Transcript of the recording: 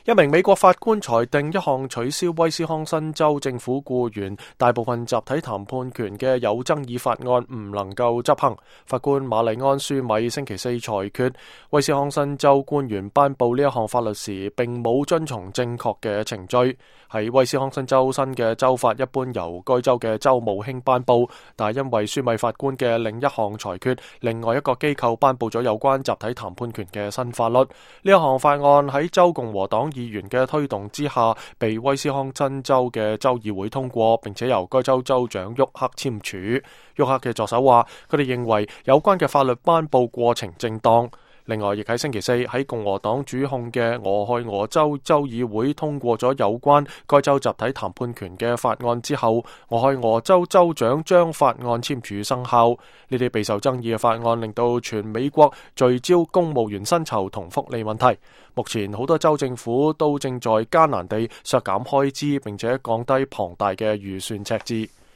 一名美國法官裁定一項取消威斯康辛州政府僱員大部分集體談判權嘅有爭議法案唔能夠執行。法官瑪麗安舒米星期四裁決，威斯康辛州官員頒布呢一項法律時並冇遵從正確嘅程序。喺威斯康辛州新嘅州法一般由該州嘅州務卿頒布，但係因為舒米法官嘅另一項裁決，另外一個機構頒布咗有關集體談判權嘅新法律。呢一項法案喺州共和黨議員嘅推動之下，被威斯康辛州嘅州議會通過，並且由該州州長沃克簽署。沃克嘅助手話，佢哋認為有關嘅法律頒布過程正當。另外，亦喺星期四喺共和黨主控嘅俄亥俄州州議會通過咗有關該州集體談判權嘅法案之後，俄亥俄州州長將法案簽署生效。呢啲備受爭議嘅法案令到全美國聚焦公務員薪酬同福利問題。目前好多州政府都正在艱難地削減開支，並且降低龐大嘅預算赤字。